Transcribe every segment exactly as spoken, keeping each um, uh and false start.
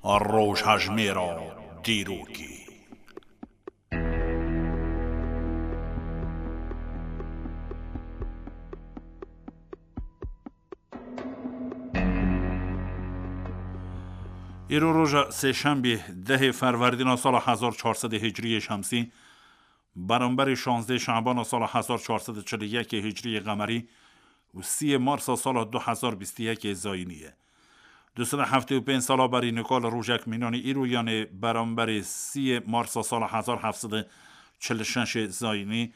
Rojhejmêra dîrokê. Îro roja sêşembî, dehê Ferwerdîna sala hezar çar sed Hicriyê Şemsî, beramberî şazdeh Şabana sala hezar çar sed çil û yek Hicriyê Qemerî û sî Marsa sala du hezar bîst û yek Zayînî ye. Du sed û heftê û pênc sala berî nika li rojek mînanî îro, yanê beramberî sî Marsa sala hezar heft sed çil û şeş Zayînî,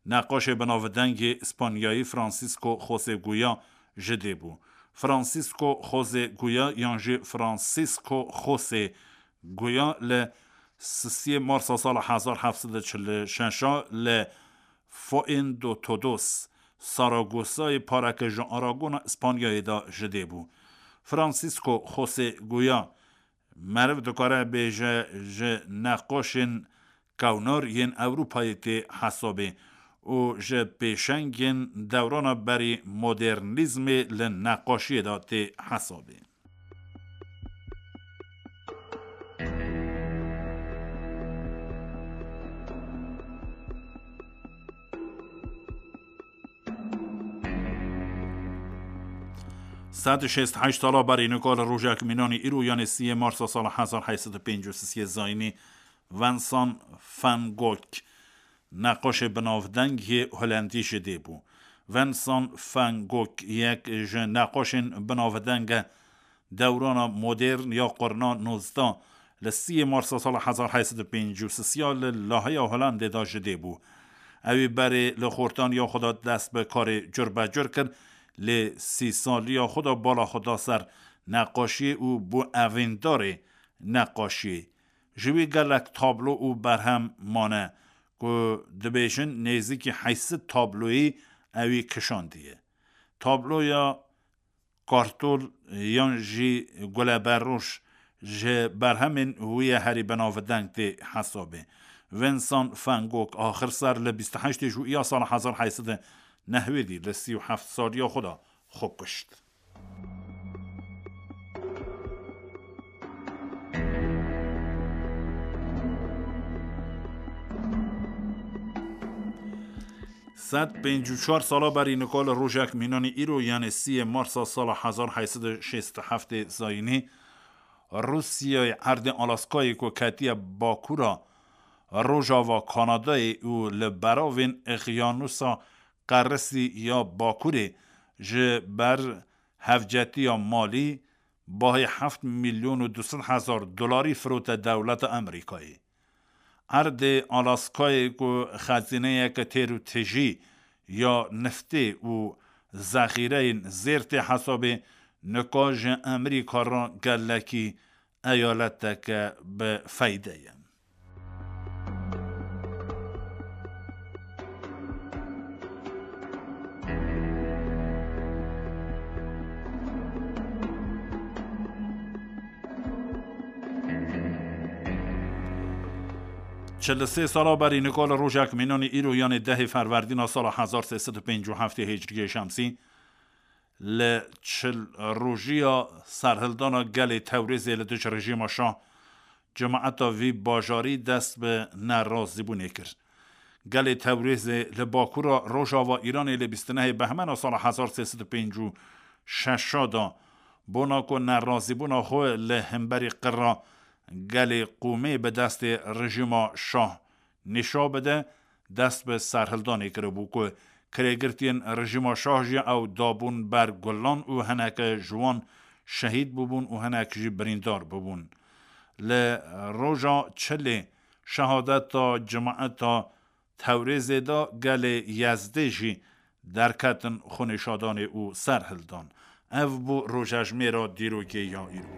neqaşê binavdengê Spanyayî Francisco José Goya ji dê bû. Francisco José Goya yan jî Francisco José Goya li sisiyê Marsa sala hezar heft sed û çil û şeş a li Fuendotodos, Saragosayê pareke ji Aragona Spanyayê de ji dê bû. Francisco José Goya, meriv dikare bêje, ji neqaşên kewnar yên Ewropayê tê hesabê û ji pêşengên dewrana berî modernîzmê li neqaşiyê de tê hesabê. Sed û şêst heşt sala berî nika li rojek mînanî îro, yanê sî Marsa sala hezar heyt sed û pêncî û sê Zayînî, Vincent van Gogh, neqaşê binavdeng yê Holendî ji dê bû. Vincent van Gogh yek ji neqaşên binavdenge dewrana modern ya qurna nozdeh, li sî Marsa sala hezar heyt sed û pêncî û sê li Lahaya Holendê de ji dê bû. Ew ê berê li xortaniya xwe de dest bi karê curbecur kir, lê sî saliya xwe de bala xwe da ser neqaşiyê û bû evîndarê neqaşiyê. Ji wî gelek tablo û berhem mane ku dibêjin nêzîkî heyt sed tabloyî ewî kişandiye. Tabloya kartol yan jî guleberroj ji berhemên wî ye herî binavdeng tê hesabê. Vincent van Gogh axir ser li bîst û heştê Jûiya sala hezar heyt sed û newêdî li sî û heft saliya xwe de xwe kuşt. Sed pêncî û çar sala berî nika li rojek mînanî îro, yanê sî Marsa sala hezar heyt sed û şêst û heft Zayînî, Rûsyayê erdê Alaskayê ku ketiye bakura rojava Kanadayê û li beravên Eqyanusa Qerisî ya Bakurê ji ber hevcetiya malî bahê heft milyon û du sed hezar dolarî firote dewleta Amerîkayê. Erdê Alaskayê ku xezîneyeke têr û tijî ya niftê û zexîreyên zêr tê hesabê, nika ji Amerîka re gelekî eyaleteke bi feyde ye. Çil û sê sala berî nika li rojek mînanî îro, yanê dehê Ferwerdîna sala hezar sê sed û pêncî û heft Hicriyê Şemsî, li çil rojiya serhildana gelê Tewrêzê li dij rejîma Şah, cemaeta vî bajarî dest bi nerazîbûnê kir. Gelê Tewrêzê li bakura rojava Îranê li bîst û nehê Behmena sala hezar sê sed û pêncî û şeş de, bona ku nerazîbûna xwe li hemberî qirra gelê qûmê bi destê rejîma Şah nîşa bide, dest bi serhildanê kiribû ku kirêgirtiyên rejîma Şah jî ew dabûn ber gulan û hineke ji wan şehîd bûbûn û hinek jî birîndar bûbûn. Li roja çilê şehadeta cemaeta Tewrêzê de gelê Yezdê jî derketin xwenîşadanê û serhildan. Ev bû rojejmêra dîrokê ya îro.